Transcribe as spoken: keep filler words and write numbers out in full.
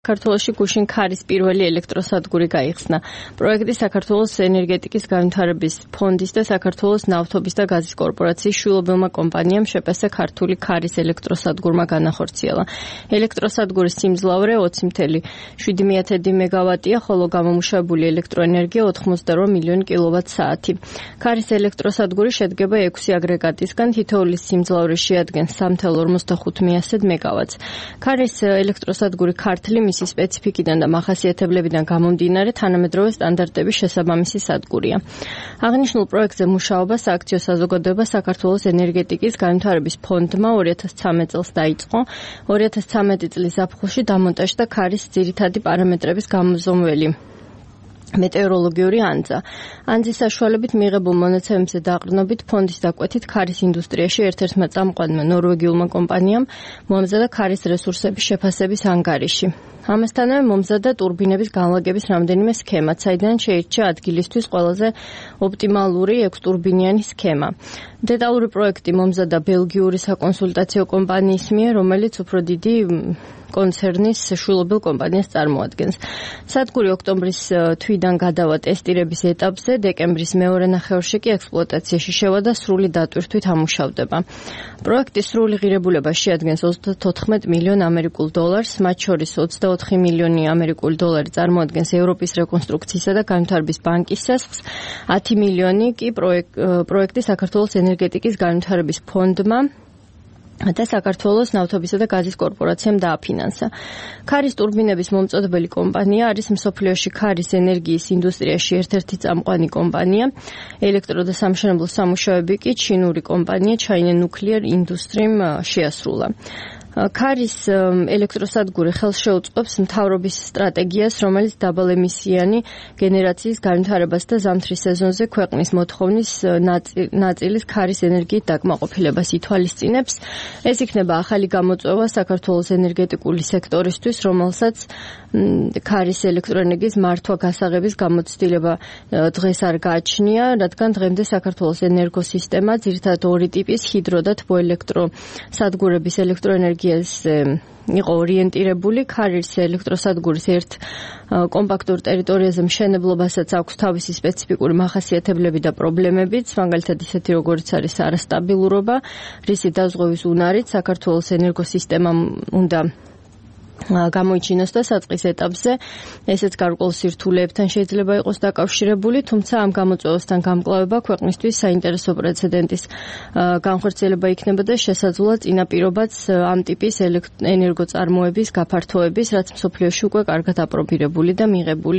საქართველოში გუშინ ქარის პირველი ელექტროსადგური გაიხსნა. პროექტი საქართველოს ენერგეტიკის განვითარების ფონდის და საქართველოს ნავთობის და გაზის კორპორაციის შვილობილმა კომპანიამ შეპესა ქართული ქარის ელექტროსადგურმა განახორციელა. ელექტროსადგურის სიმძლავრე ოცი ათეული შვიდი მეგავატია, ხოლო გამომუშავებული ელექტროენერგია ოთხმოცდაორ მილიონი კილოვატ-საათი. ქარის ელექტროსადგური შედგება ექვსი აგრეგატისგან, თითოეულის სიმძლავრე შეადგენს სამი ათეული ორმოცდახუთი მეგავატს. ქარის ელექტროსადგური ქართლი მისი სპეციფიკიდან და მახასიათებლებიდან გამომდინარე თანამედროვე სტანდარტების შესაბამისი სადგურია. აღნიშნულ პროექტზე მუშაობა სააქციო საზოგადოება საქართველოს ენერგეტიკის განვითარების ფონდმა ორი ათას ცხრამეტ წელს დაიწყო. ორი ათას ცხრამეტი წლის ზაფხულში დამონტაჟდა ქარის ძირითადი პარამეტრების გამოზომველი მეტეოროლოგიური ანძა. ანძის საშუალებით მიღებულ მონაცემებზე დაყრდნობით ფონდის დაკვეთით ქარის ინდუსტრიაში ერთ-ერთმა წამყვანმა ნორვეგიულმა კომპანიამ მოამზადა ქარის რესურსების შეფასების ანგარიში. ამასთანავე მომზადდა ტურბინების განლაგების რამდენიმე სქემა, საიდან შეირჩა ადგილისთვის ყველაზე ოპტიმალური ექვსტურბინიანი სქემა. დეტალური პროექტი მომზადდა ბელგიური საკონსულტაციო კომპანიის მიერ, რომელიც უფრო დიდი კონცერნის შვილობილ კომპანიას წარმოადგენს. სადგური ოქტომბრის თვიდან გადავა ტესტირების ეტაპზე, დეკემბრის მეორე ნახევარში კი ექსპლუატაციაში შევა და სრული დატვირთვით ამუშავდება. პროექტის სრული ღირებულება შეადგენს ოცდათოთხმეტ მილიონ ამერიკულ დოლარს, მათ შორის ოცდაოთხი მილიონი ამერიკული დოლარი წარმოადგენს ევროპის რეკონსტრუქციისა და განვითარების ბანკის სასხს, ათი მილიონი კი პროექტი საქართველოს ენერგეტიკის განვითარების ფონდმა და საქართველოს ნავთობისა და გაზის კორპორაციამ დააფინანსა. ქარის ტურბინების მომწოდებელი კომპანია არის მსოფლიოში ქარის ენერგიის ინდუსტრიაში ერთ-ერთი წამყვანი კომპანია. ელექტრო და სამშენებლო სამუშაოები კი ჩინური კომპანია China Nuclear Industry-მ შეასრულა. ქარის ელექტროსადგური ხელს შეუწყობს მთავრობის სტრატეგიას, რომელიც დაბალემისიანი გენერაციის განვითარებას და ზამთრის სეზონზე ქვეყნის მოთხოვნის ნაწილის ქარის ენერგიით დაკმაყოფილებას ითვალისწინებს. ეს იქნება ახალი გამოწვევა საქართველოს ენერგეტიკული სექტორისთვის, რომელსაც ქარის ელექტროენერგიის მართვა-გასაღების გამოცდილება დღეს არ გააჩნია, რადგან დღემდე საქართველოს ენერგოსისტემა ძირითადად ორი ტიპის ჰიდრო და თბოელექტროსადგურების ელექტროენერგია იყო ორიენტირებული. ქარის ელექტროსადგურის ერთ კომპაქტურ ტერიტორიაზე მშენებლობასაც აქვს თავისი სპეციფიკური მახასიათებლები და პრობლემებიც, მაგალითად ისეთი როგორიც არის არასტაბილურობა, რისი დაზღვევის უნარით საქართველოს ენერგოსისტემამ უნდა გამოიჩინოს და საწყის ეტაპზე ესეც გარკვეულ სირთულეებთან შეიძლება იყოს დაკავშირებული, თუმცა ამ გამოწვევასთან გამკლავება ქვეყნისთვის საინტერესო პრეცედენტის განხორციელება იქნება და შესაძლოა წინაპირობაც ამ ტიპის ენერგოწარმოების გაფართოების, რაც მსოფლიოში უკვე კარგად აპრობირებული და მიღებული